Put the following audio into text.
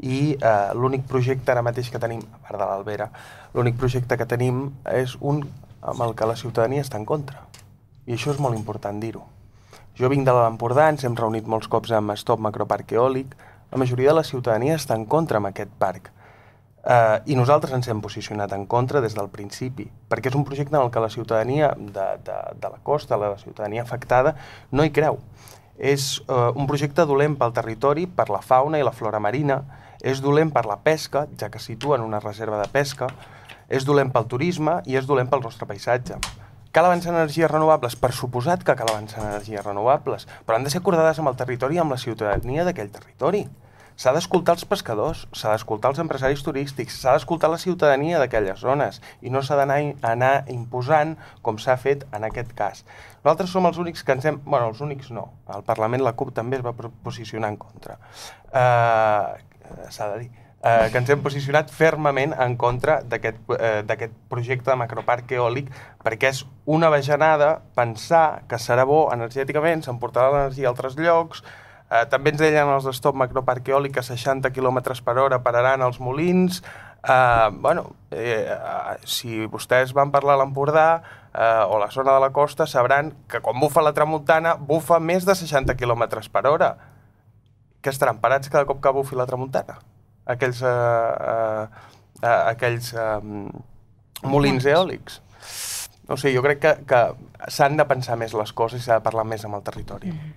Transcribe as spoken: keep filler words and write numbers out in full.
i eh, l'únic projecte ara mateix que tenim, a part de l'Albera, l'únic projecte que tenim és un amb el que la ciutadania està en contra. I això és molt important dir-ho. Jo vinc de l'Empordà, ens hem reunit molts cops amb Stop Macroparc Eòlic, la majoria de la ciutadania està en contra amb aquest parc. Uh, I nosaltres ens hem posicionat en contra des del principi, perquè és un projecte en el que la ciutadania de, de, de la costa, la ciutadania afectada, no hi creu. És uh, un projecte dolent pel territori, per la fauna i la flora marina, és dolent per la pesca, ja que situa en una reserva de pesca, és dolent pel turisme i és dolent pel nostre paisatge. Cal avançar en energies renovables? Per suposat que cal avançar en energies renovables, però han de ser acordades amb el territori i amb la ciutadania d'aquell territori. S'ha d'escoltar els pescadors, s'ha d'escoltar els empresaris turístics, s'ha d'escoltar la ciutadania d'aquelles zones i no s'ha d'anar anar imposant com s'ha fet en aquest cas. Nosaltres som els únics que ens hem... Bueno, els únics no. Al Parlament la CUP també es va posicionar en contra. Uh, s'ha de dir. Uh, que ens hem posicionat fermament en contra d'aquest uh, projecte de macroparc eòlic perquè és una bajanada pensar que serà bo energèticament, s'emportarà l'energia a altres llocs. Uh, també ens deien els de Stop Macroparc Eòlic que seixanta quilòmetres per hora pararan els molins. Uh, bueno, eh, uh, si vostès van parlar a l'Empordà uh, o la zona de la costa sabran que quan bufa la tramuntana bufa més de seixanta quilòmetres per hora. Que estaran parats cada cop que bufi la tramuntana? Aquells, uh, uh, uh, aquells uh, molins eòlics. No sé, jo crec que, que s'han de pensar més les coses i s'ha de parlar més amb el territori. Mm-hmm.